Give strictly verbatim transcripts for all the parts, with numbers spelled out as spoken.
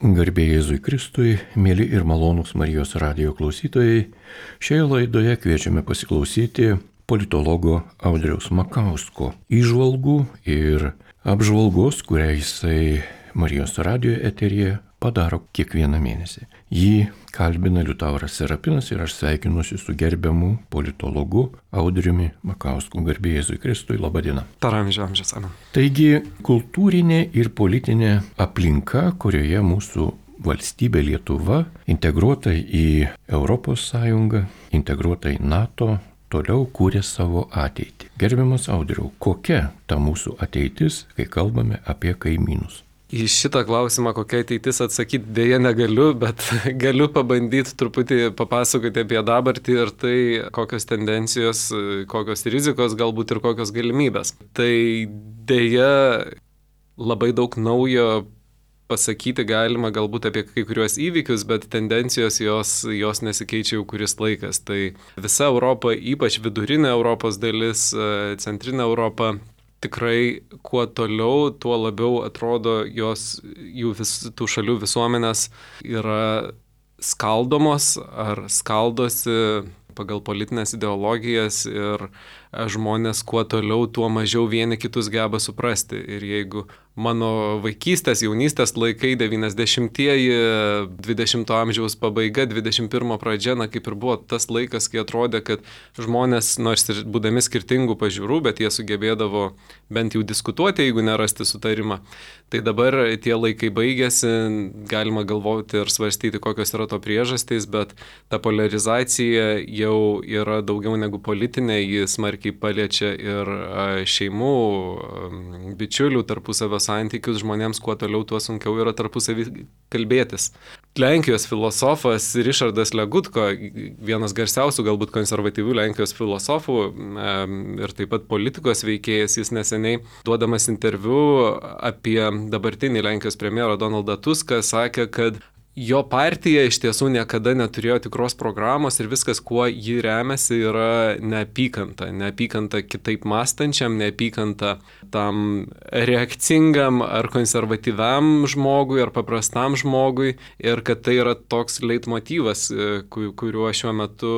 Garbė Jėzui Kristui, mėly ir malonūs Marijos radijo klausytojai, šioje laidoje kviečiame pasiklausyti politologo Audriaus Makausko įžvalgų ir apžvalgos, kurią jisai Marijos radijo eteryje padaro kiekvieną mėnesį. Jį kalbina Liutauras Serapinas ir aš sveikinuosi su gerbiamu politologu Audriumi Makausku. Garbė Jėzui Kristui, laba diena. Taramžių amžius, ana. Taigi, kultūrinė ir politinė aplinka, kurioje mūsų valstybė Lietuva integruota į Europos Sąjungą, integruota į NATO, toliau kūrė savo ateitį. Gerbiamas Audriau, kokia ta mūsų ateitis, kai kalbame apie kaimynus? Į šitą klausimą, kokia ateitis atsakyti, dėja negaliu, bet galiu pabandyti truputį papasakoti apie dabartį ir tai, kokios tendencijos, kokios rizikos galbūt ir kokios galimybės. Tai dėja labai daug naujo pasakyti galima galbūt apie kai kuriuos įvykius, bet tendencijos jos, jos nesikeičia jau kuris laikas. Tai visa Europa, ypač vidurinė Europos dalis, centrinė Europa, tikrai kuo toliau, tuo labiau atrodo jos, jų vis, tų šalių visuomenės yra skaldomos ar skaldosi pagal politinės ideologijas ir žmonės kuo toliau, tuo mažiau vieni kitus geba suprasti. Ir jeigu mano vaikystės, jaunystės laikai, devyniasdešimtieji, dvidešimto amžiaus pabaiga, dvidešimt pirmo pradžia, na kaip ir buvo tas laikas, kai atrodė, kad žmonės, nors ir būdami skirtingų pažiūrų, bet jie sugebėdavo bent jau diskutuoti, jeigu nerasti sutarimą. Tai dabar tie laikai baigėsi, galima galvoti ir svarstyti, kokios yra to priežastys, bet ta polarizacija jau yra daugiau negu politinė, ji smarkiai paliečia ir šeimų, bičiulių tarpusavio santykius, žmonėms kuo toliau, tuo sunkiau yra tarpusavį kalbėtis. Lenkijos filosofas Rišardas Legutko, vienas garsiausių galbūt konservatyvių Lenkijos filosofų ir taip pat politikos veikėjas, jis neseniai duodamas interviu apie dabartinį Lenkijos premjerą Donaldą Tuską sakė, kad jo partija iš tiesų niekada neturėjo tikros programos ir viskas, kuo ji remiasi, yra neapykanta. Neapykanta kitaip mąstančiam, neapykanta tam reakcingam ar konservatyviam žmogui ar paprastam žmogui ir kad tai yra toks leitmotyvas, kuriuo šiuo metu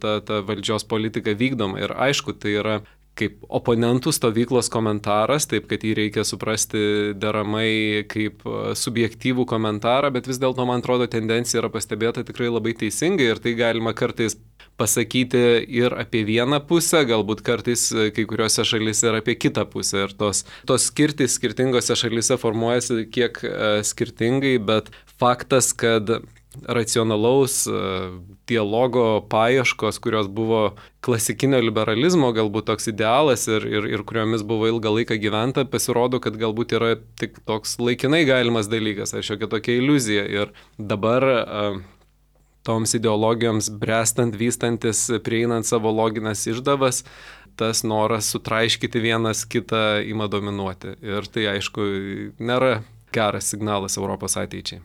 ta, ta valdžios politika vykdoma. Ir aišku, tai yra kaip oponentų stovyklos komentaras, taip kad jį reikia suprasti deramai kaip subjektyvų komentarą, bet vis dėlto, man atrodo, tendencija yra pastebėta tikrai labai teisingai ir tai galima kartais pasakyti ir apie vieną pusę, galbūt kartais kai kuriuose šalyse ir apie kitą pusę. Ir tos, tos skirtys skirtingose šalyse formuojasi kiek skirtingai, bet faktas, kad racionalaus dialogo paieškos, kurios buvo klasikinio liberalizmo galbūt toks idealas ir, ir, ir kuriomis buvo ilgą laiką gyventa, pasirodo, kad galbūt yra tik toks laikinai galimas dalykas, ar šiokia tokia iliuzija. Ir dabar toms ideologijoms brestant, vystantis, prieinant savo loginės išdavas, tas noras sutraiškyti vienas kitą ima dominuoti. Ir tai, aišku, nėra geras signalas Europos ateičiai.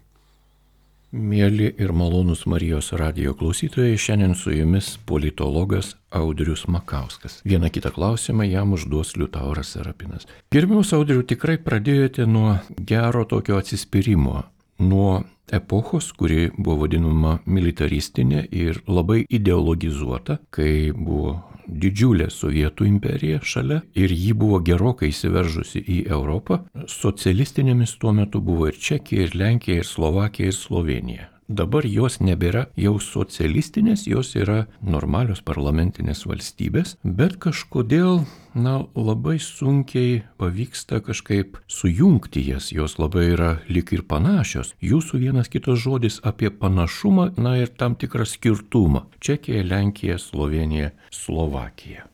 Mėly ir malonūs Marijos radijo klausytojai, šiandien su jumis politologas Audrius Makauskas. Vieną kitą klausimą jam užduos Liutauras Serapinas. Gerbiamas Audriu, tikrai pradėjote nuo gero tokio atsispyrimo, nuo epochos, kuri buvo vadinama militaristinė ir labai ideologizuota, kai buvo didžiulė Sovietų imperija šalia ir ji buvo gerokai įsiveržusi į Europą. Socialistinėmis tuo metu buvo ir Čekija, ir Lenkija, ir Slovakija, ir Slovenija. Dabar jos nebėra jau socialistinės, jos yra normalios parlamentinės valstybės, bet kažkodėl, na, labai sunkiai pavyksta kažkaip sujungti jas, jos labai yra lyg ir panašios. Jūsų vienas kitas žodis apie panašumą, na ir tam tikrą skirtumą. Čekija, Lenkija, Slovenija, Slovakija.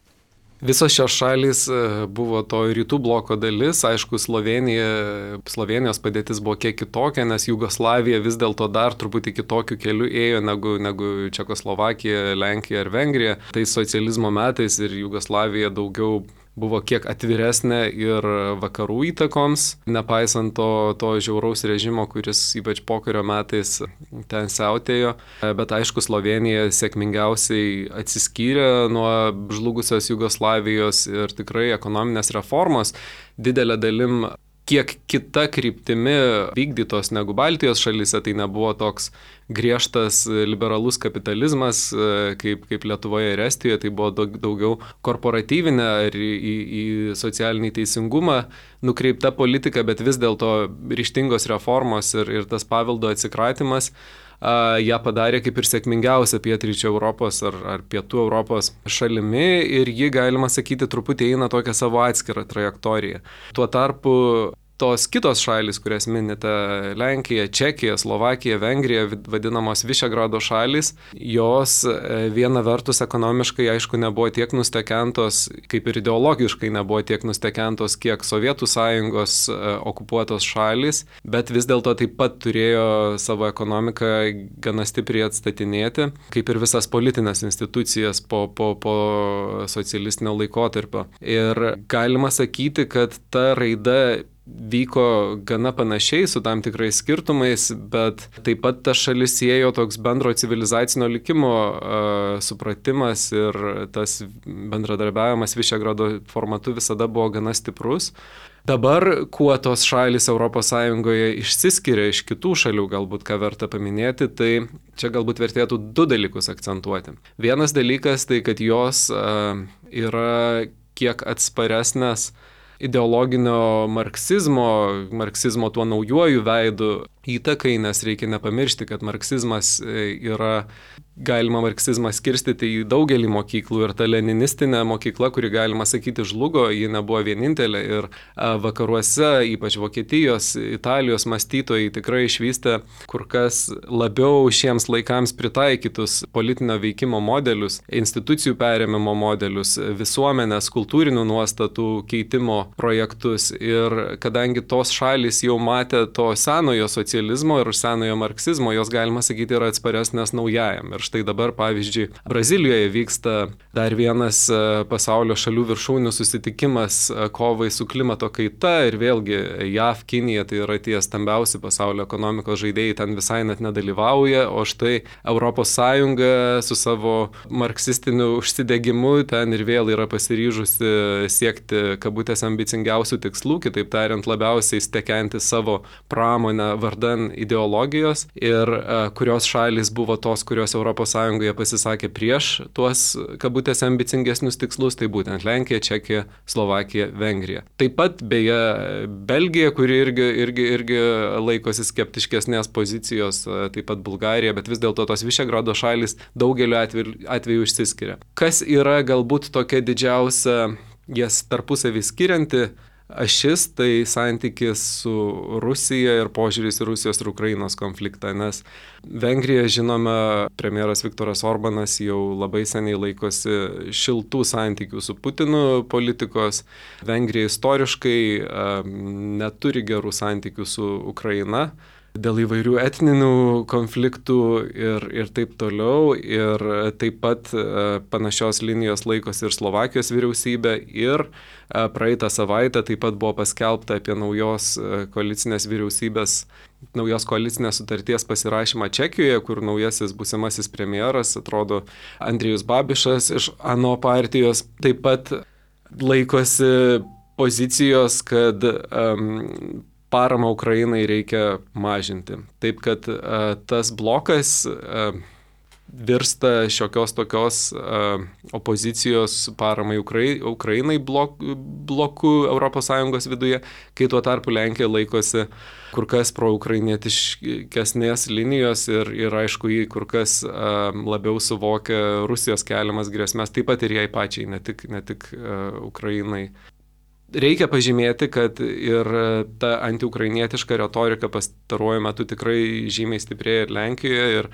Visos šios šalys buvo to rytų bloko dalis, aišku, Slovenija, Slovenijos padėtis buvo kiek kitokia, nes Jugoslavija vis dėlto dar truputį kitokiu keliu ėjo negu, negu Čekoslovakija, Lenkija ar Vengrija. Tai socializmo metais ir Jugoslavija daugiau buvo kiek atviresnė ir vakarų įtakoms, nepaisant to, to žiauraus režimo, kuris ypač pokario metais ten siautėjo. Bet aišku, Slovenija sėkmingiausiai atsiskyrė nuo žlugusios Jugoslavijos ir tikrai ekonominės reformos didelė dalim kiek kita kryptimi vykdytos negu Baltijos šalyse, tai nebuvo toks griežtas liberalus kapitalizmas, kaip, kaip Lietuvoje ir Estijoje, tai buvo daug, daugiau korporatyvinė ir į, į, į socialinį teisingumą nukreipta politika, bet vis dėlto ryžtingos reformos ir, ir tas paveldo atsikratymas Uh, ją padarė kaip ir sėkmingiausia pietryčio Europos ar, ar pietų Europos šalimi ir ji, galima sakyti, truputį eina tokią savo atskirą trajektoriją. Tuo tarpu tos kitos šalys, kurias minite, Lenkija, Čekija, Slovakija, Vengrija, vadinamos Višegrado šalys, jos viena vertus ekonomiškai, aišku, nebuvo tiek nustekentos, kaip ir ideologiškai nebuvo tiek nustekentos, kiek Sovietų sąjungos okupuotos šalys, bet vis dėlto taip pat turėjo savo ekonomiką gana stipriai atstatinėti, kaip ir visas politinės institucijas po, po, po socialistinio laikotarpio. Ir galima sakyti, kad ta raida vyko gana panašiai su tam tikrais skirtumais, bet taip pat ta šalis siejo toks bendro civilizacinio likimo uh, supratimas ir tas bendradarbiavimas Višegrado formatu visada buvo gana stiprus. Dabar, kuo tos šalis Europos Sąjungoje išsiskiria iš kitų šalių, galbūt ką verta paminėti, tai čia galbūt vertėtų du dalykus akcentuoti. Vienas dalykas tai, kad jos uh, yra kiek atsparesnės ideologinio marksizmo, marksizmo tuo naujuoju veidu įtakai, nes reikia nepamiršti, kad marksizmas yra, galima marksizmą skirstyti į daugelį mokyklų ir ta leninistinė mokykla, kuri, galima sakyti, žlugo, ji nebuvo vienintelė ir vakaruose, ypač Vokietijos, Italijos mąstytojai tikrai išvystė kur kas labiau šiems laikams pritaikytus politinio veikimo modelius, institucijų perėmimo modelius, visuomenės, kultūrinių nuostatų keitimo projektus ir kadangi tos šalys jau matė to senojo socializmo ir senojo marksizmo, jos, galima sakyti, yra atsparesnės naujajam. Ir štai dabar, pavyzdžiui, Brazilijoje vyksta dar vienas pasaulio šalių viršūnių susitikimas kovai su klimato kaita ir vėlgi J A V, Kinija, tai yra tie stambiausi pasaulio ekonomikos žaidėjai, ten visai net nedalyvauja, o štai Europos Sąjunga su savo marksistiniu užsidegimu ten ir vėl yra pasiryžusi siekti kabutės ambicingiausių tikslų, kitaip tariant, labiausiai stekenti savo pramonę vardan ideologijos ir uh, kurios šalis buvo tos, kurios Europos Sąjungoje pasisakė prieš tuos kabutėse ambicingesnius tikslus, tai būtent Lenkija, Čekija, Slovakija, Vengrija. Taip pat, beje, Belgija, kuri irgi, irgi, irgi laikosi skeptiškesnės pozicijos, taip pat Bulgarija, bet vis dėlto tos Višegrado šalis daugeliu atveju, atveju išsiskiria. Kas yra galbūt tokia didžiausia jas tarpusavį skirianti ašis, tai santykis su Rusija ir požiūris į Rusijos ir Ukrainos konfliktą, nes Vengrija, žinome, premjeras Viktoras Orbanas jau labai seniai laikosi šiltų santykių su Putinu politikos. Vengrija istoriškai neturi gerų santykių su Ukraina dėl įvairių etninių konfliktų ir, ir taip toliau. Ir taip pat panašios linijos laikosi ir Slovakijos vyriausybė. Ir praeitą savaitę taip pat buvo paskelbta apie naujos koalicinės vyriausybės, naujos koalicinės sutarties pasirašymą Čekijoje, kur naujasis būsimasis premjeras, atrodo, Andrijus Babišas iš ANO partijos, taip pat laikosi pozicijos, kad um, paramą Ukrainai reikia mažinti. Taip kad a, tas blokas a, virsta šiokios tokios a, opozicijos paramai Ukrai, Ukrainai blok, blokų Europos Sąjungos viduje, kai tuo tarpu Lenkija laikosi kur kas proukrainietiškesnės linijos ir, ir aišku, jį kur kas a, labiau suvokia Rusijos keliamas grėsmės, taip pat ir jai pačiai, ne tik, ne tik a, Ukrainai. Reikia pažymėti, kad ir ta antiukrainietiška retorika pastaruoju metu tikrai žymiai stiprėja ir Lenkijoje ir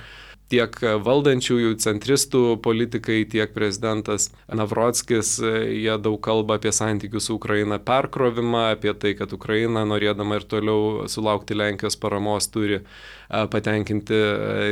tiek valdančiųjų centristų politikai, tiek prezidentas Navrockis, jie daug kalba apie santykių su Ukraina perkrovimą, apie tai, kad Ukraina, norėdama ir toliau sulaukti Lenkijos paramos, turi patenkinti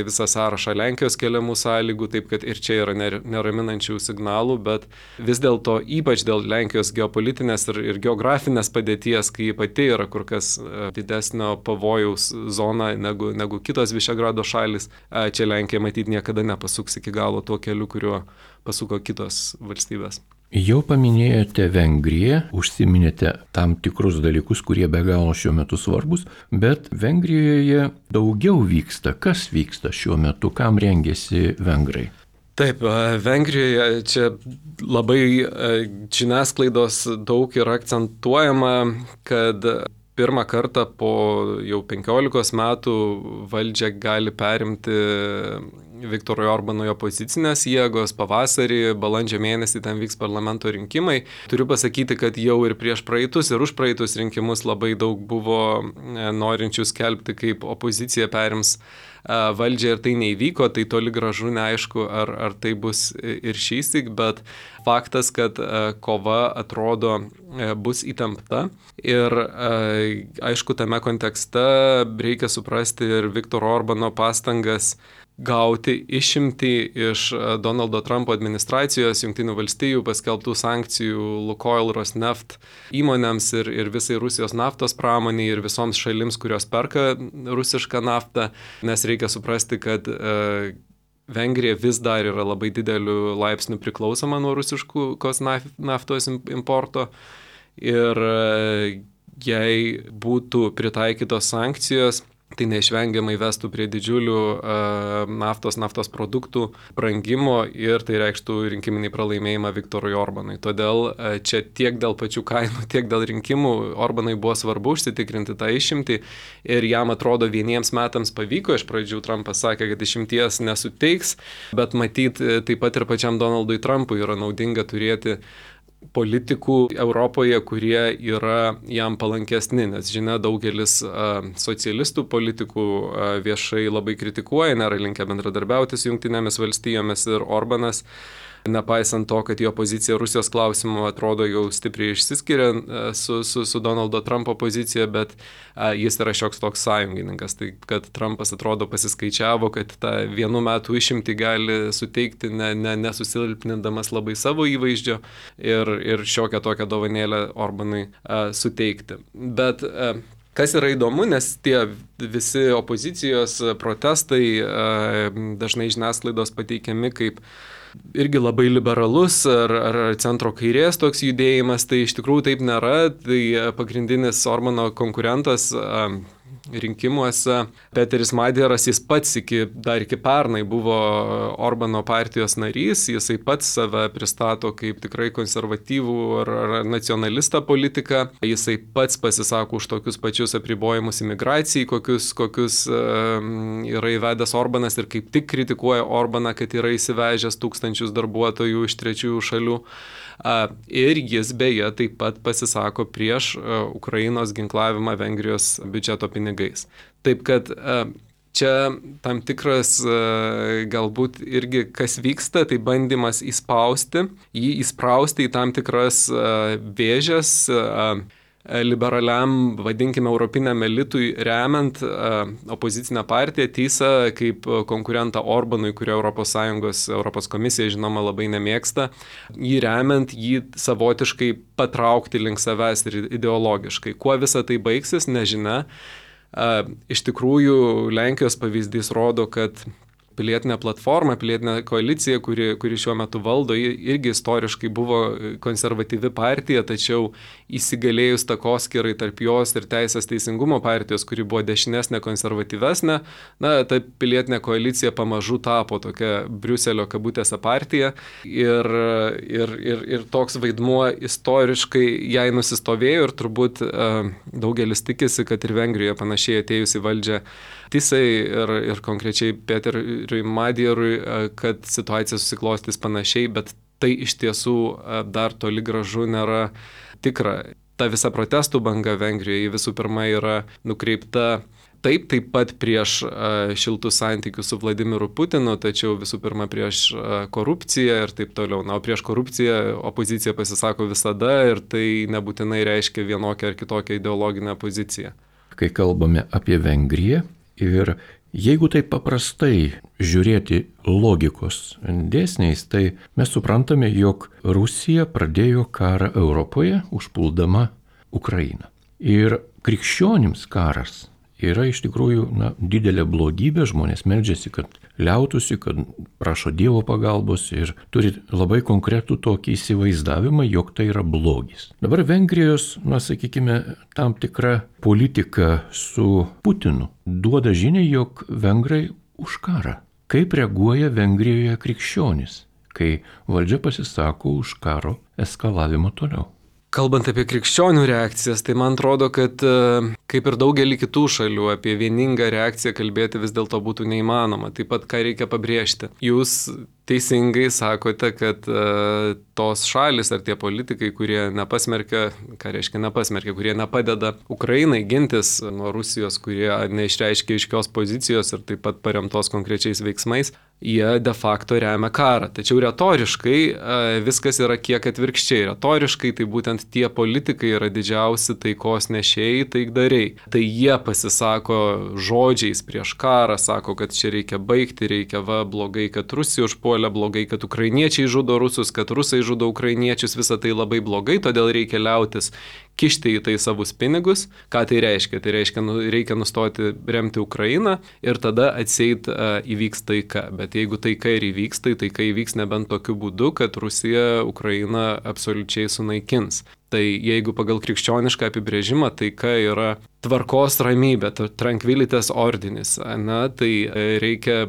visą sąrašą Lenkijos keliamų sąlygų, taip kad ir čia yra neraminančių signalų, bet vis dėlto ypač dėl Lenkijos geopolitinės ir, ir geografinės padėties, kai pati yra kur kas didesnio pavojaus zona negu, negu kitos Višegrado šalis, čia Lenkija matyti niekada nepasuks iki galo tuo keliu, kuriuo pasuko kitos valstybės. Jau paminėjote Vengriją, užsiminėte tam tikrus dalykus, kurie be galo šiuo metu svarbus, bet Vengrijoje daugiau vyksta. Kas vyksta šiuo metu, kam rengiasi vengrai? Taip, Vengrijoje čia labai žiniasklaidos daug yra akcentuojama, kad pirmą kartą po jau penkiolikos metų valdžią gali perimti Viktorui Orbanui opozicinės jėgos. Pavasarį, balandžio mėnesį ten vyks parlamento rinkimai. Turiu pasakyti, kad jau ir prieš praeitus ir už praeitus rinkimus labai daug buvo norinčių skelbti, kaip opozicija perims valdžią ir tai neįvyko, tai toli gražu neaišku, ar, ar tai bus ir šįsyk, bet faktas, kad kova atrodo bus įtempta ir aišku, tame kontekste reikia suprasti ir Viktoro Orbano pastangas gauti išimtį iš Donaldo Trumpo administracijos Jungtinių valstijų paskelbtų sankcijų Lukoil, Rosneft įmonėms ir, ir visai Rusijos naftos pramoniai ir visoms šalims, kurios perka rusišką naftą, nes reikia suprasti, kad e, Vengrija vis dar yra labai dideliu laipsniu priklausoma nuo rusiškos naftos importo ir e, jei būtų pritaikytos sankcijos, tai neišvengiamai vestų prie didžiulių uh, naftos, naftos produktų brangimo ir tai reikštų rinkiminį pralaimėjimą Viktorui Orbanui. Todėl uh, čia tiek dėl pačių kainų, tiek dėl rinkimų Orbanui buvo svarbu užsitikrinti tą išimtį ir jam atrodo vieniems metams pavyko. Iš pradžių Trumpas sakė, kad išimties nesuteiks, bet matyt taip pat ir pačiam Donaldui Trumpui yra naudinga turėti politikų Europoje, kurie yra jam palankesni, nes žinia, daugelis a, socialistų politikų a, viešai labai kritikuoja, nėra linkę bendradarbiauti su Jungtinėmis valstijomis ir Orbanas, nepaisant to, kad jo pozicija Rusijos klausimu atrodo jau stipriai išsiskiria su, su, su Donaldo Trumpo pozicija, bet a, jis yra šioks toks sąjungininkas. Tai kad Trumpas atrodo pasiskaičiavo, kad tą vienų metų išimtį gali suteikti ne, ne, nesusilpnindamas labai savo įvaizdžio ir, ir šiokią tokią dovanėlę Orbanui a, suteikti. Bet a, kas yra įdomu, nes tie visi opozicijos protestai a, dažnai žiniasklaidos pateikiami kaip irgi labai liberalus ar, ar centro kairės toks judėjimas, tai iš tikrųjų taip nėra. Tai pagrindinis Orbano konkurentas rinkimuose, Peteris Madjaras, jis pats iki, dar iki pernai buvo Orbano partijos narys, jisai pats save pristato kaip tikrai konservatyvų ar, ar nacionalistą politiką, jisai pats pasisako už tokius pačius apribojimus imigracijai, kokius, kokius um, yra įvedęs Orbanas ir kaip tik kritikuoja Orbaną, kad yra įsivežęs tūkstančius darbuotojų iš trečiųjų šalių. Ir jis beje taip pat pasisako prieš Ukrainos ginklavimą Vengrijos biudžeto pinigais. Taip kad čia tam tikras galbūt irgi kas vyksta, tai bandymas įspausti, jį įsprausti į tam tikras vėžes liberaliam, vadinkime, europiniam elitui remiant uh, opozicinę partiją Tysą kaip konkurentą Orbanui, kurio Europos Sąjungos, Europos komisija, žinoma, labai nemėgsta, jį remiant, jį savotiškai patraukti link savęs ir ideologiškai. Kuo visa tai baigsis, nežinia. Uh, iš tikrųjų, Lenkijos pavyzdys rodo, kad pilietinė platforma, pilietinė koalicija, kuri, kuri šiuo metu valdo, irgi istoriškai buvo konservatyvi partija, tačiau įsigalėjus takoskyrai tarp jos ir Teisės teisingumo partijos, kuri buvo dešinesnė, konservatyvesnė, na, ta pilietinė koalicija pamažu tapo tokia Briuselio kabutėse partija ir, ir, ir, ir toks vaidmuo istoriškai jai nusistovėjo ir turbūt uh, daugelis tikisi, kad ir Vengrijoje panašiai atėjus į valdžią Tysai ir, ir konkrečiai Peteriui Madjarui, kad situacija susiklostys panašiai, bet tai iš tiesų dar toli gražu nėra tikra. Ta visa protestų banga Vengrijoje visų pirma yra nukreipta taip, taip pat prieš šiltus santykius su Vladimiru Putinu, tačiau visų pirma prieš korupciją ir taip toliau. Na, o prieš korupciją opozicija pasisako visada ir tai nebūtinai reiškia vienokią ar kitokią ideologinę poziciją. Kai kalbame apie Vengriją, ir jeigu taip paprastai žiūrėti logikos dėsniais, tai mes suprantame, jog Rusija pradėjo karą Europoje, užpuldama Ukrainą. Ir krikščionims karas yra iš tikrųjų na, didelė blogybė, žmonės meldžiasi, kad liautųsi, kad prašo Dievo pagalbos ir turi labai konkretų tokį įsivaizdavimą, jog tai yra blogis. Dabar Vengrijos, na sakykime, tam tikra politika su Putinu duoda žinią, jog vengrai už karą. Kaip reaguoja Vengrijoje krikščionys, kai valdžia pasisako už karo eskalavimą toliau? Kalbant apie krikščionių reakcijas, tai man atrodo, kad kaip ir daugelį kitų šalių, apie vieningą reakciją kalbėti vis dėlto būtų neįmanoma. Taip pat, ką reikia pabrėžti. Jūs teisingai sakote, kad uh, tos šalis ar tie politikai, kurie nepasmerkia, ką reiškia nepasmerkia, kurie nepadeda Ukrainai gintis nuo Rusijos, kurie neišreiškia aiškios pozicijos ir taip pat paremtos konkrečiais veiksmais, jie de facto remia karą. Tačiau retoriškai uh, viskas yra kiek atvirkščiai. Retoriškai tai būtent tie politikai yra didžiausi taikos nešėjai, taikdariai. Tai jie pasisako žodžiais prieš karą, sako, kad čia reikia baigti, reikia va blogai, kad Rusija užpuolė, blogai, kad ukrainiečiai žudo rusus, kad rusai žudo ukrainiečius, visa tai labai blogai, todėl reikia liautis kišti į tai savus pinigus. Ką tai reiškia? Tai reiškia, nu, reikia nustoti remti Ukrainą ir tada atseit uh, įvyks taika. Bet jeigu taika ir įvyks, tai taika įvyks nebent tokiu būdu, kad Rusija Ukrainą absoliučiai sunaikins. Tai jeigu pagal krikščionišką apibrėžimą taika yra tvarkos ramybė, tranquilitas ordinis, na, tai reikia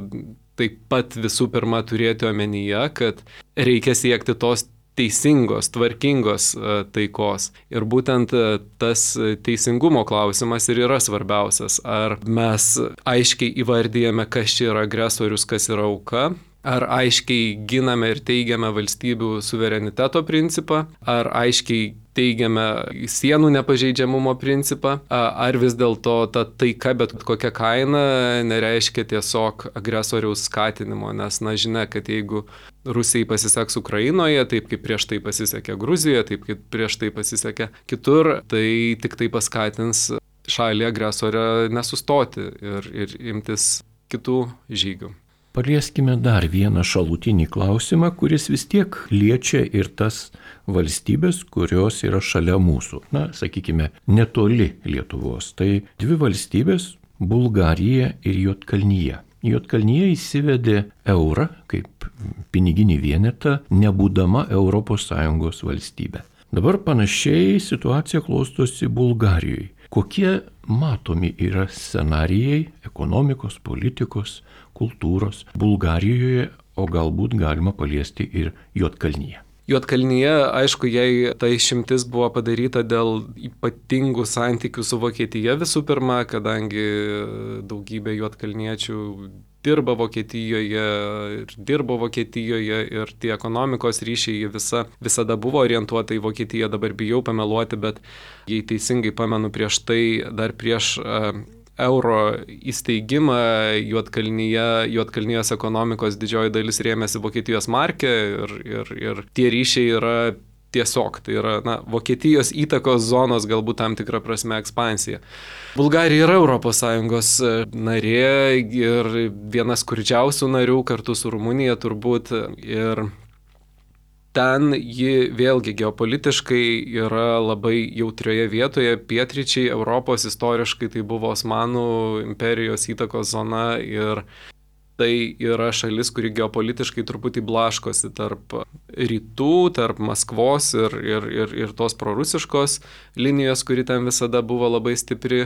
taip pat visų pirma turėti omenyje, kad reikia siekti tos teisingos, tvarkingos taikos. Ir būtent tas teisingumo klausimas ir yra svarbiausias. Ar mes aiškiai įvardyjame, kas čia yra agresorius, kas yra auka, ar aiškiai giname ir teigiame valstybių suvereniteto principą, ar aiškiai teigiame sienų nepažeidžiamumo principą, ar vis dėlto ta taika bet kokia kaina nereiškia tiesiog agresoriaus skatinimo, nes na žinia, kad jeigu Rusijai pasiseks Ukrainoje, taip kaip prieš tai pasisekė Gruzijoje, taip kaip prieš tai pasisekė kitur, tai tik tai paskatins šalį agresorę nesustoti ir, ir imtis kitų žygių. Palieskime dar vieną šalutinį klausimą, kuris vis tiek liečia ir tas valstybės, kurios yra šalia mūsų. Na, sakykime, netoli Lietuvos. Tai dvi valstybės – Bulgarija ir Juodkalnyje. Juodkalnyje įsivedė eurą kaip piniginį vienetą, nebūdama Europos Sąjungos valstybė. Dabar panašiai situacija klostosi Bulgarijoje. Kokie matomi yra scenarijai ekonomikos, politikos, kultūros Bulgarijoje, o galbūt galima paliesti ir Juodkalnyje? Juodkalnyje, aišku, jai ta išimtis buvo padaryta dėl ypatingų santykių su Vokietija visų pirma, kadangi daugybė juodkalniečių dirba Vokietijoje ir dirbo Vokietijoje ir tie ekonomikos ryšiai visa, visada buvo orientuota į Vokietiją, dabar bijau pameluoti, bet jei teisingai pamenu prieš tai, dar prieš uh, euro įsteigimą Juodkalnyje, Juodkalnyjos ekonomikos didžioji dalis rėmėsi Vokietijos marke ir, ir, ir tie ryšiai yra tiesiog, tai yra na, Vokietijos įtakos zonos galbūt tam tikrą prasme ekspansija. Bulgarija yra Europos Sąjungos narė ir viena skurdžiausių narių kartu su Rumunija turbūt ir ten ji vėlgi geopolitiškai yra labai jautrioje vietoje, pietryčiai Europos istoriškai tai buvo Osmanų imperijos įtakos zona ir tai yra šalis, kuri geopolitiškai truputį blaškosi tarp rytų, tarp Maskvos ir, ir, ir, ir tos prorusiškos linijos, kuri ten visada buvo labai stipri,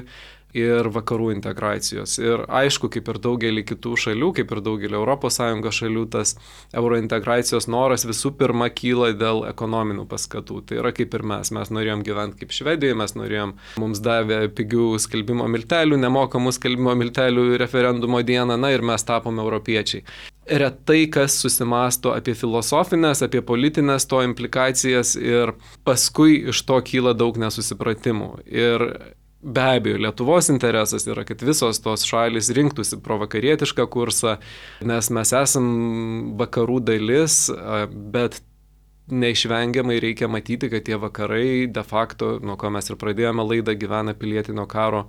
ir vakarų integracijos. Ir aišku, kaip ir daugelį kitų šalių, kaip ir daugelį Europos Sąjungos šalių, tas eurointegracijos noras visų pirma kyla dėl ekonominių paskatų. Tai yra kaip ir mes. Mes norėjom gyventi kaip Švedijoje, mes norėjom, mums davė pigių skelbimo miltelių, nemokamų skelbimo miltelių referendumo dieną, na ir mes tapome europiečiai. Retai kas susimasto apie filosofinės, apie politinės to implikacijas ir paskui iš to kyla daug nesusipratimų. Ir be abejo, Lietuvos interesas yra, kad visos tos šalis rinktųsi provakarietišką kursą, nes mes esam vakarų dalis, bet neišvengiamai reikia matyti, kad tie vakarai de facto, nuo ko mes ir pradėjome laidą, gyvena pilietinio karo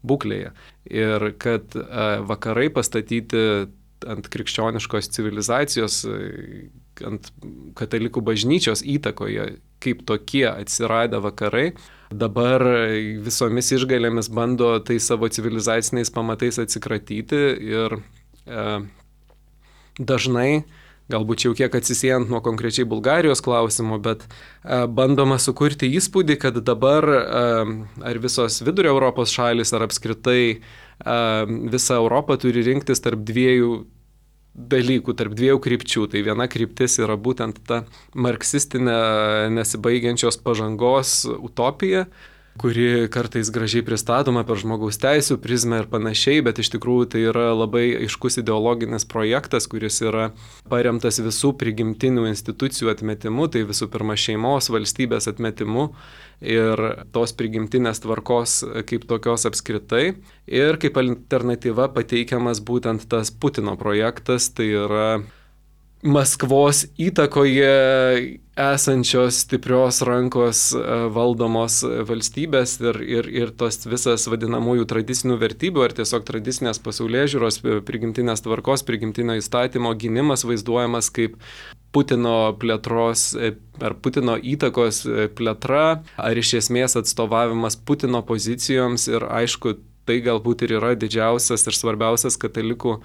būklėje. Ir kad vakarai pastatyti ant krikščioniškos civilizacijos, ant katalikų bažnyčios įtakoje, kaip tokie atsiradę vakarai, dabar visomis išgalėmis bando tai savo civilizaciniais pamatais atsikratyti ir e, dažnai, galbūt jau kiek atsisiejant nuo konkrečiai Bulgarijos klausimo, bet e, bandoma sukurti įspūdį, kad dabar e, ar visos vidurio Europos šalis, ar apskritai e, visa Europa turi rinktis tarp dviejų dalykų, tarp dviejų krypčių. Tai viena kryptis yra būtent ta marksistinė nesibaigiančios pažangos utopija, kuri kartais gražiai pristatoma per žmogaus teisų prizmę ir panašiai, bet iš tikrųjų tai yra labai aiškus ideologinis projektas, kuris yra paremtas visų prigimtinių institucijų atmetimu, tai visų pirma šeimos, valstybės atmetimu ir tos prigimtinės tvarkos kaip tokios apskritai. Ir kaip alternatyva pateikiamas būtent tas Putino projektas, tai yra Maskvos įtakoje esančios stiprios rankos valdomos valstybės ir, ir, ir tos visas vadinamųjų tradicinių vertybių ar tiesiog tradicinės pasaulėžiūros, prigimtinės tvarkos, prigimtinio įstatymo gynimas vaizduojamas kaip Putino plėtros ar Putino įtakos plėtra, ar iš esmės atstovavimas Putino pozicijoms ir aišku, tai galbūt ir yra didžiausias ir svarbiausias katalikų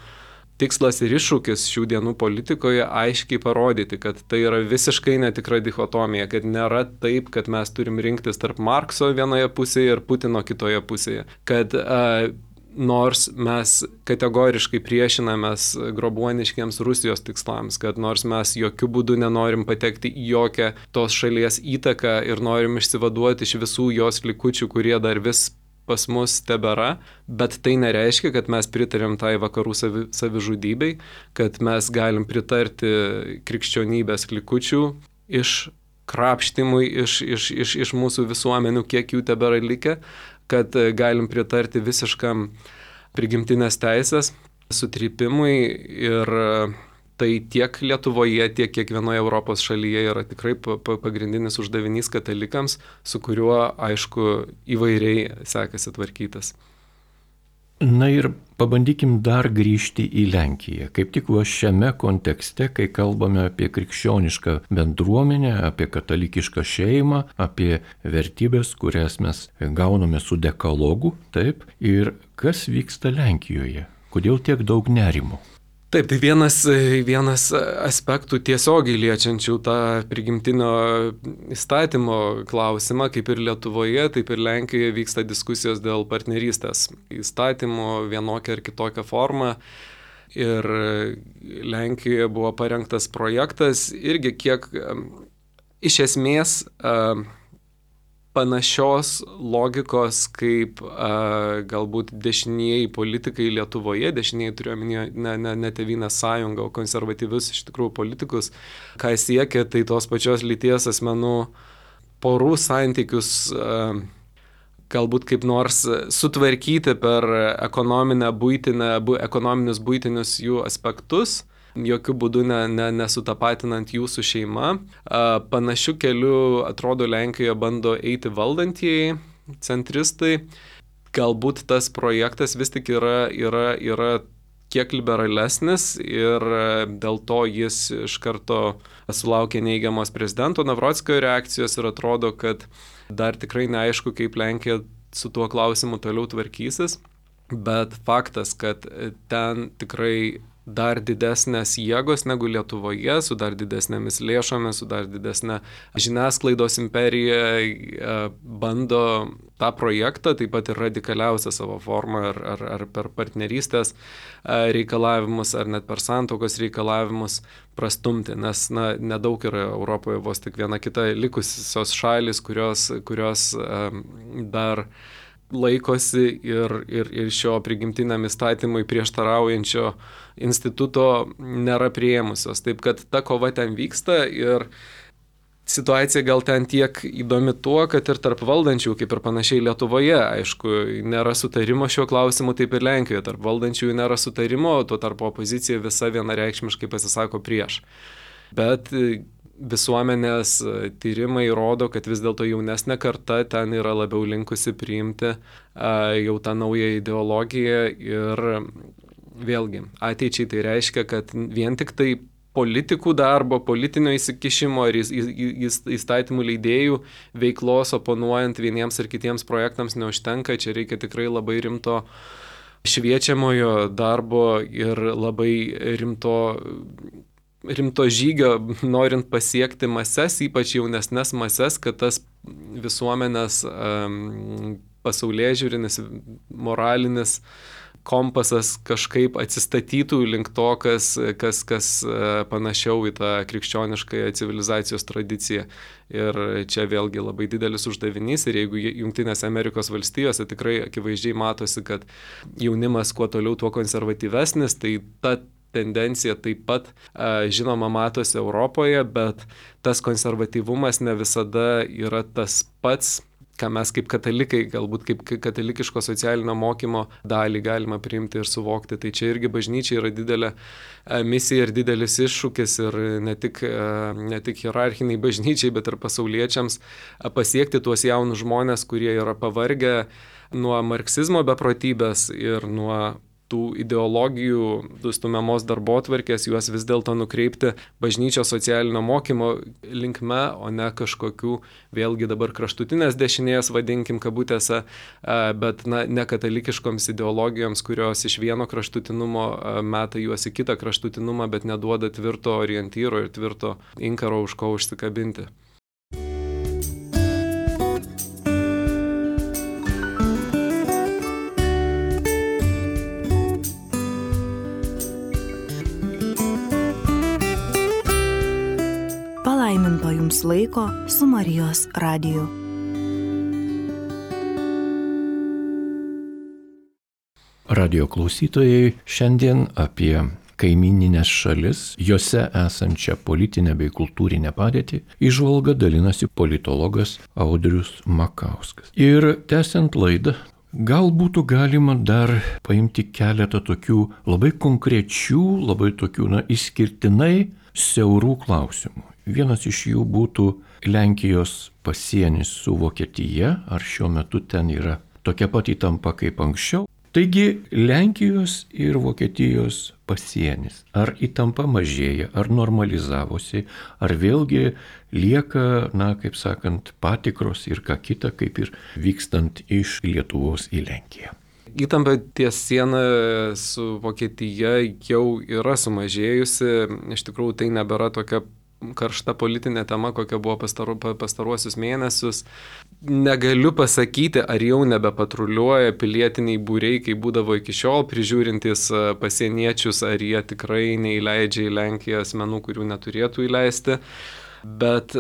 tikslas ir iššūkis šių dienų politikoje aiškiai parodyti, kad tai yra visiškai netikra dichotomija, kad nėra taip, kad mes turim rinktis tarp Markso vienoje pusėje ir Putino kitoje pusėje. Kad a, nors mes kategoriškai priešinamės grobuoniškiams Rusijos tikslams, kad nors mes jokių būdų nenorim patekti į jokią tos šalies įtaką ir norim išsivaduoti iš visų jos likučių, kurie dar vis pas mus tebėra, bet tai nereiškia, kad mes pritarėm tai vakarų savi, savižudybei, kad mes galim pritarti krikščionybės likučių iškrapštimui iš, iš, iš, iš mūsų visuomenių, kiek jų tebėra likę, kad galim pritarti visiškam prigimtinės teisės sutrypimui ir tai tiek Lietuvoje, tiek kiekvienoje Europos šalyje yra tikrai pagrindinis uždavinys katalikams, su kuriuo, aišku, įvairiai sekasi tvarkytas. Na ir pabandykim dar grįžti į Lenkiją. Kaip tik va šiame kontekste, kai kalbame apie krikščionišką bendruomenę, apie katalikišką šeimą, apie vertybės, kurias mes gauname su dekalogu, taip, ir kas vyksta Lenkijoje? Kodėl tiek daug nerimo? Taip, tai vienas, vienas aspektų tiesiogiai liečiančių tą prigimtinio įstatymo klausimą, kaip ir Lietuvoje, taip ir Lenkijoje vyksta diskusijos dėl partnerystės įstatymo vienokią ar kitokią formą. Ir Lenkijoje buvo parengtas projektas irgi kiek iš esmės panašios logikos kaip a, galbūt dešinieji politikai Lietuvoje, dešinieji turiuomenį ne, ne, ne Tėvynės sąjungą, o konservatyvius iš tikrųjų politikus, ką siekia, tai tos pačios lyties asmenų porų santykius a, galbūt kaip nors sutvarkyti per ekonominę, buitinę, bu, ekonominius buitinius jų aspektus, jokių būdų ne, ne, nesutapatinant jų su šeima. Panašiu keliu, atrodo, Lenkijoje bando eiti valdantieji, centristai. Galbūt tas projektas vis tik yra, yra, yra kiek liberalesnis ir dėl to jis iš karto sulaukė neigiamos prezidento Navrockio reakcijos ir atrodo, kad dar tikrai neaišku, kaip Lenkija su tuo klausimu toliau tvarkysis. Bet faktas, kad ten tikrai dar didesnės jėgos negu Lietuvoje, su dar didesnėmis lėšomis, su dar didesnė žiniasklaidos imperija bando tą projektą, taip pat ir radikaliausią savo formą, ar, ar, ar per partnerystės reikalavimus, ar net per santuokos reikalavimus prastumti, nes na, nedaug yra Europoje, vos tik viena kita likusios šalis, kurios, kurios um, dar laikosi ir, ir, ir šio prigimtiniam įstatymui prieštaraujančio instituto nėra priėmusios. Taip kad ta kova ten vyksta ir situacija gal ten tiek įdomi tuo, kad ir tarp valdančių, kaip ir panašiai Lietuvoje, aišku, nėra sutarimo šiuo klausimu, taip ir Lenkijoje. Tarp valdančiųjų nėra sutarimo, tuo tarp opozicija visa vienareikšmiškai pasisako prieš. Bet visuomenės tyrimai rodo, kad vis dėlto jaunesnė karta ten yra labiau linkusi priimti a, jau tą naują ideologiją ir vėlgi ateičiai tai reiškia, kad vien tik tai politikų darbo, politinio įsikišimo ar įstatymų leidėjų veiklos oponuojant vieniems ar kitiems projektams neužtenka. Čia reikia tikrai labai rimto šviečiamojo darbo ir labai rimto, rimto žygio, norint pasiekti mases, ypač jaunesnes mases, kad tas visuomenės um, pasaulėžiūrinis, moralinis kompasas kažkaip atsistatytų link to, kas, kas, kas panašiau į tą krikščioniškąją civilizacijos tradiciją. Ir čia vėlgi labai didelis uždavinys. Ir jeigu Jungtinėse Amerikos valstijose tikrai akivaizdžiai matosi, kad jaunimas kuo toliau, tuo konservatyvesnis, tai ta tendencija taip pat, žinoma, matosi Europoje, bet tas konservatyvumas ne visada yra tas pats, ką mes kaip katalikai, galbūt kaip katalikiško socialinio mokymo dalį galima priimti ir suvokti. Tai čia irgi bažnyčia yra didelė misija ir didelis iššūkis ir ne tik, ne tik hierarchiniai bažnyčiai, bet ir pasauliečiams pasiekti tuos jaunus žmonės, kurie yra pavargę nuo marksizmo beprotybės ir nuo tų ideologijų stumiamos darbotvarkės, juos vis dėlto nukreipti bažnyčios socialinio mokymo linkme, o ne kažkokių vėlgi dabar kraštutinės dešinės, vadinkim kabutėse, bet na, ne katalikiškoms ideologijoms, kurios iš vieno kraštutinumo meta juos į kitą kraštutinumą, bet neduoda tvirto orientyro ir tvirto inkaro, už ko užsikabinti. Palaiminto jums laiko su Marijos radiju. Radio klausytojai, šiandien apie kaimininės šalis, jose esančią politinę bei kultūrinę padėtį, įžvalga dalinasi politologas Audrius Makauskas. Ir tęsiant laidą, gal būtų galima dar paimti keletą tokių labai konkrečių, labai tokių, na, išskirtinai siaurų klausimų. Vienas iš jų būtų Lenkijos pasienis su Vokietija, ar šiuo metu ten yra tokia pat įtampa kaip anksčiau. Taigi Lenkijos ir Vokietijos pasienis, ar įtampa mažėja, ar normalizavosi, ar vėlgi lieka, na, kaip sakant, patikros ir ką kita, kaip ir vykstant iš Lietuvos į Lenkiją. Įtampa ties siena su Vokietija jau yra sumažėjusi, iš tikrųjų tai nebėra tokia karšta politinė tema, kokia buvo pastaru, pastaruosius mėnesius. Negaliu pasakyti, ar jau nebepatruliuoja pilietiniai būriai, kai būdavo iki šiol, prižiūrintys pasieniečius, ar jie tikrai neįleidžia į Lenkiją asmenų, kurių neturėtų įleisti. Bet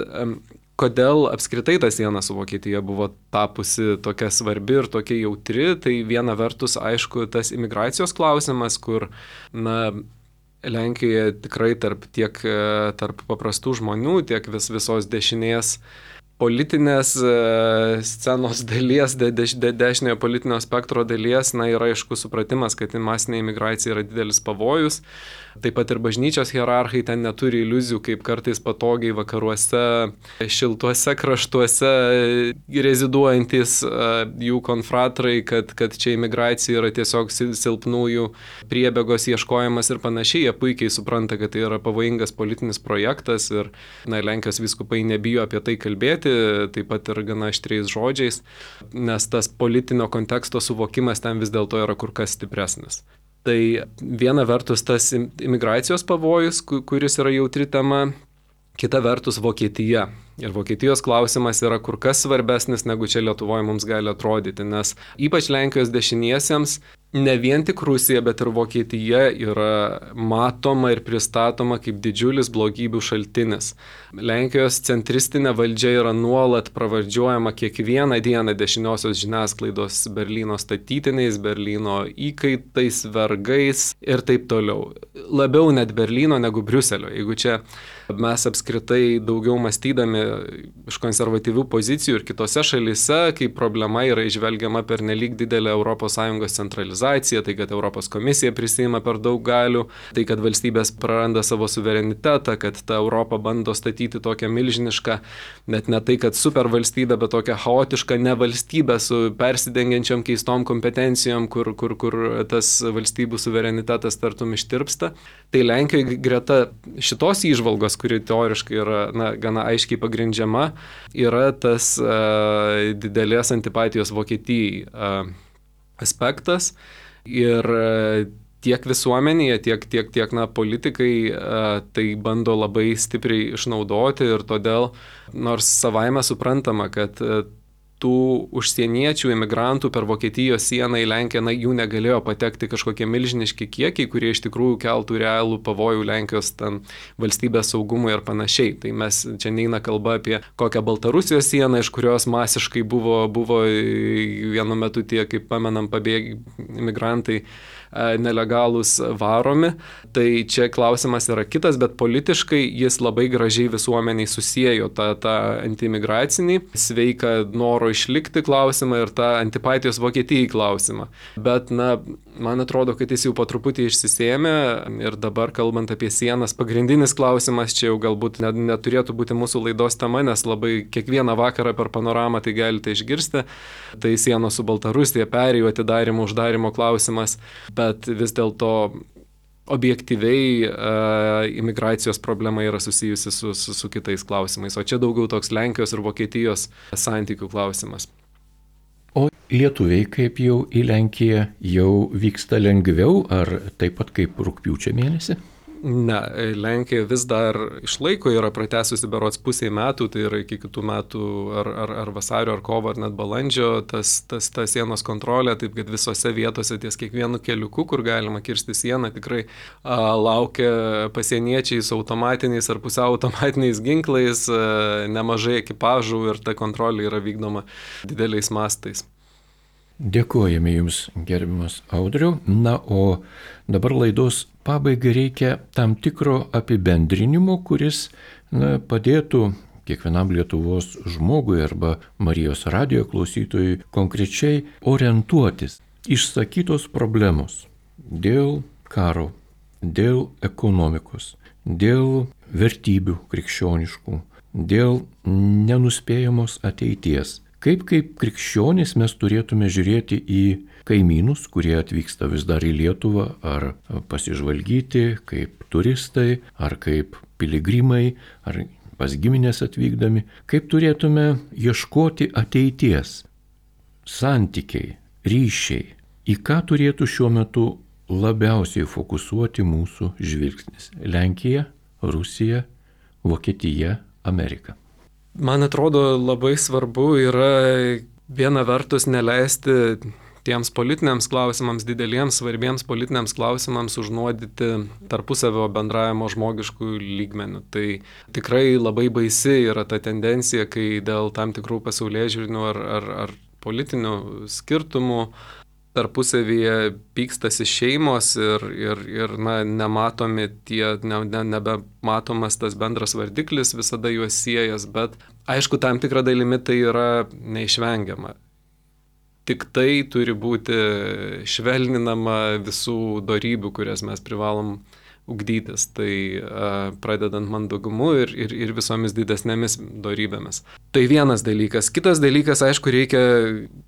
kodėl apskritai ta siena su Vokietija buvo tapusi tokia svarbi ir tokia jautri, tai viena vertus, aišku, tas imigracijos klausimas, kur, na, Lenkijoje tikrai tarp, tiek tarp paprastų žmonių, tiek vis, visos dešinės politinės scenos dalies, de, de, de, dešiniojo politinio spektro dalies, na, yra aišku supratimas, kad masinė imigracija yra didelis pavojus. Taip pat ir bažnyčios hierarchai ten neturi iliuzijų, kaip kartais patogiai vakaruose, šiltuose kraštuose reziduojantis jų konfratrai, kad, kad čia imigracija yra tiesiog silpnųjų priebėgos ieškojimas ir panašiai. Jie puikiai supranta, kad tai yra pavojingas politinis projektas ir, na, Lenkijos vyskupai nebijo apie tai kalbėti, taip pat ir gana aštriais žodžiais, nes tas politinio konteksto suvokimas ten vis dėlto yra kur kas stipresnis. Tai viena vertus tas imigracijos pavojus, kuris yra jautri tema, kita vertus Vokietija. Ir Vokietijos klausimas yra kur kas svarbesnis, negu čia Lietuvoje mums gali atrodyti, nes ypač Lenkijos dešiniesiems ne vien tik Rusija, bet ir Vokietija yra matoma ir pristatoma kaip didžiulis blogybių šaltinis. Lenkijos centristinė valdžia yra nuolat pravardžiuojama kiekvieną dieną dešiniosios žiniasklaidos Berlyno statytiniais, Berlyno įkaitais, vergais ir taip toliau. Labiau net Berlyno negu Briuselio. Jeigu čia mes apskritai daugiau mąstydami iš konservatyvių pozicijų ir kitose šalyse, kai problema yra išvelgiama per nelik didelę Europos Sąjungos centralizaciją, tai kad Europos komisija prisima per daug galių, tai kad valstybės praranda savo suverenitetą, kad ta Europa bando statyti tokią milžinišką, net ne tai, kad supervalstybę, bet tokią chaotišką nevalstybę su persidengiančiam keistom kompetencijom, kur, kur, kur tas valstybių suverenitetas tartum ištirpsta. Tai Lenkijoje greta šitos įžvalgos, kuri teoriškai yra na, gana aiškiai pagrindžiama, yra tas uh, didelės antipatijos Vokietijai uh, aspektas. Ir uh, tiek visuomenėje, tiek, tiek, tiek na, politikai uh, tai bando labai stipriai išnaudoti ir todėl, nors savaime suprantama, kad uh, tų užsieniečių, imigrantų per Vokietijos sieną į Lenkiją, na, jų negalėjo patekti kažkokie milžiniški kiekiai, kurie iš tikrųjų keltų realų pavojų Lenkijos ten valstybės saugumui ir panašiai. Tai mes čia neina kalba apie kokią Baltarusijos sieną, iš kurios masiškai buvo, buvo vienu metu tie, kaip pamenam, pabėgi imigrantai nelegalūs varomi. Tai čia klausimas yra kitas, bet politiškai jis labai gražiai visuomeniai susiejo tą, tą antiimigracinį, sveiką noro išlikti klausimą ir tą antipatijos Vokietijai klausimą. Bet, na, man atrodo, kad jis jau po truputį išsisėmė ir dabar, kalbant apie sienas, pagrindinis klausimas čia jau galbūt net, neturėtų būti mūsų laidos tema, nes labai kiekvieną vakarą per panoramą tai galite išgirsti. Tai sienos su Baltarusija, perėjų atidarimo, uždarimo klausimas. Bet vis dėlto objektyviai uh, imigracijos problema yra susijusi su, su, su kitais klausimais, o čia daugiau toks Lenkijos ir Vokietijos santykių klausimas. O lietuviai kaip jau į Lenkiją jau vyksta lengviau, ar taip pat kaip rugpjūčio mėnesį? Ne, Lenkija vis dar išlaiko, yra pratesusi berods pusiai metų, tai yra iki kitų metų ar, ar, ar vasario, ar kovo, ar net balandžio, tas, tas, ta sienos kontrolė, taip kad visose vietose ties kiekvienu keliuku, kur galima kirsti sieną, tikrai a, laukia pasieniečiai su automatiniais ar pusiau automatiniais ginklais, a, nemažai ekipažų ir ta kontrolė yra vykdoma dideliais mastais. Dėkojame Jums, gerbiamas Audriau. Na, o dabar laidos pabaigai reikia tam tikro apibendrinimo, kuris na, padėtų kiekvienam Lietuvos žmogui arba Marijos radijo klausytojui konkrečiai orientuotis. Išsakytos problemos dėl karo, dėl ekonomikos, dėl vertybių krikščioniškų, dėl nenuspėjamos ateities. Kaip kaip krikščionys mes turėtume žiūrėti į kaimynus, kurie atvyksta vis dar į Lietuvą, ar pasižvalgyti kaip turistai, ar kaip piligrimai, ar pas giminės atvykdami, kaip turėtume ieškoti ateities, santykiai, ryšiai, į ką turėtų šiuo metu labiausiai fokusuoti mūsų žvilgsnis – Lenkija, Rusija, Vokietija, Amerika. Man atrodo, labai svarbu yra viena vertus neleisti tiems politiniams klausimams, dideliems, svarbiems politiniams klausimams užnuodyti tarpusavio bendravimo žmogiškų lygmenių. Tai tikrai labai baisi yra ta tendencija, kai dėl tam tikrų pasaulėžiūrinių ar, ar, ar politinių skirtumų tarpusavyje pykstasi šeimos ir, ir, ir na, nematomi tie, ne, ne, nebematomas tas bendras vardiklis visada juos siejas, bet aišku, tam tikrą dalimi tai yra neišvengiama. Tik tai turi būti švelninama visų dorybių, kurias mes privalom ugdytis, tai a, pradedant mandagumu ir, ir, ir visomis didesnėmis dorybėmis. Tai vienas dalykas. Kitas dalykas, aišku, reikia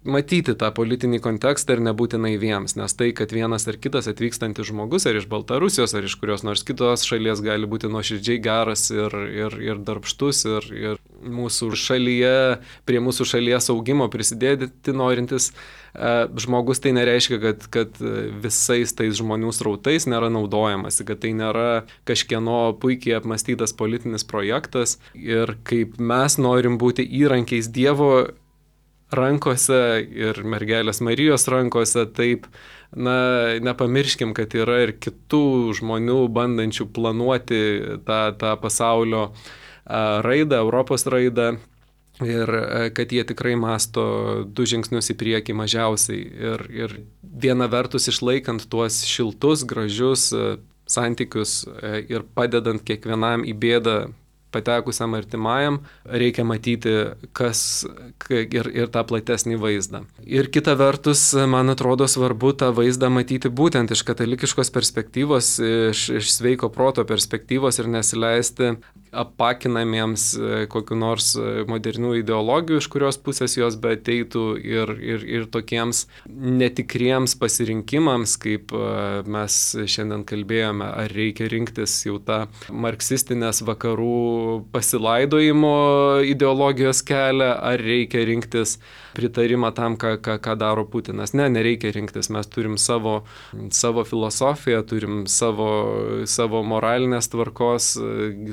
matyti tą politinį kontekstą ir nebūti naiviems, nes tai, kad vienas ar kitas atvykstantis žmogus, ar iš Baltarusijos, ar iš kurios nors kitos šalies gali būti nuoširdžiai geras ir, ir, ir darbštus, ir, ir mūsų šalyje, prie mūsų šalies augimo prisidėti norintis žmogus, tai nereiškia, kad, kad visais tais žmonių srautais nėra naudojamasi, kad tai nėra kažkieno puikiai apmąstytas politinis projektas ir kaip mes norim būti įrankiais Dievo rankose ir mergelės Marijos rankose, taip, na, nepamirškim, kad yra ir kitų žmonių bandančių planuoti tą, tą pasaulio raidą, Europos raidą. Ir kad jie tikrai masto du žingsnius į priekį mažiausiai. Ir, ir viena vertus išlaikant tuos šiltus, gražius, santykius ir padedant kiekvienam į bėdą patekusiam artimajam, reikia matyti kas ir, ir tą platesnį vaizdą. Ir kita vertus, man atrodo svarbu tą vaizdą matyti būtent iš katalikiškos perspektyvos, iš, iš sveiko proto perspektyvos ir nesileisti apakinamiems kokiu nors modernių ideologijų, iš kurios pusės jos beateitų ir, ir, ir tokiems netikriems pasirinkimams, kaip mes šiandien kalbėjome, ar reikia rinktis jau tą marksistinės vakarų pasilaidojimo ideologijos kelią, ar reikia rinktis pritarimą tam, ką, ką, ką daro Putinas. Ne, nereikia rinktis, mes turim savo, savo filosofiją, turim savo, savo moralinės tvarkos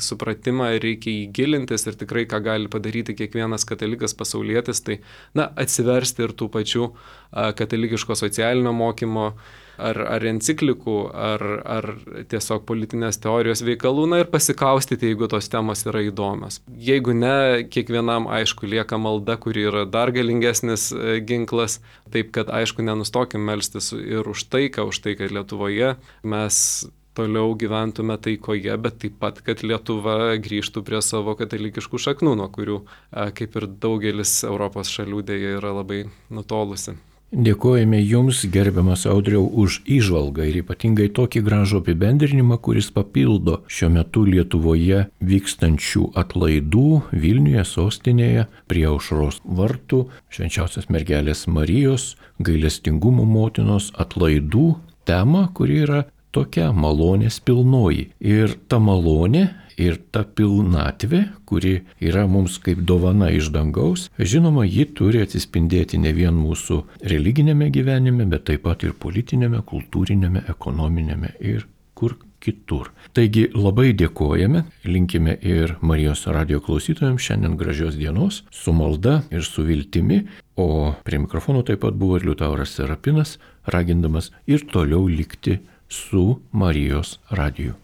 supratimą ir reikia jį gilintis ir tikrai ką gali padaryti kiekvienas katalikas pasaulietis, tai na, atsiversti ir tų pačių a, katalikiško socialinio mokymo ar, ar enciklikų, ar, ar tiesiog politinės teorijos veikalų, na ir pasikaustyti, jeigu tos temos yra įdomios. Jeigu ne, kiekvienam aišku lieka malda, kuri yra dar galingesnis ginklas, taip kad aišku nenustokim melstis ir už taiką, už tai, kad Lietuvoje mes toliau gyventume taikoje, bet taip pat, kad Lietuva grįžtų prie savo katalikiškų šaknų, nuo kurių, kaip ir daugelis Europos šalių dėja yra labai nutolusi. Dėkojame Jums, gerbiamas Audriau, už įžvalgą ir ypatingai tokį gražų apibendrinimą, kuris papildo šiuo metu Lietuvoje vykstančių atlaidų Vilniuje, sostinėje, prie Aušros vartų, Švenčiausios mergelės Marijos, gailestingumo motinos atlaidų temą, kuri yra tokia malonės pilnoji. Ir ta malonė ir ta pilnatvė, kuri yra mums kaip dovana iš dangaus, žinoma, ji turi atsispindėti ne vien mūsų religinėme gyvenime, bet taip pat ir politinėme, kultūrinėme, ekonominėme ir kur kitur. Taigi labai dėkojame, linkime ir Marijos radijo klausytojams šiandien gražios dienos, su malda ir su viltimi, o prie mikrofono taip pat buvo ir Liutauras Serapinas, ragindamas ir toliau likti su Marijos radiju.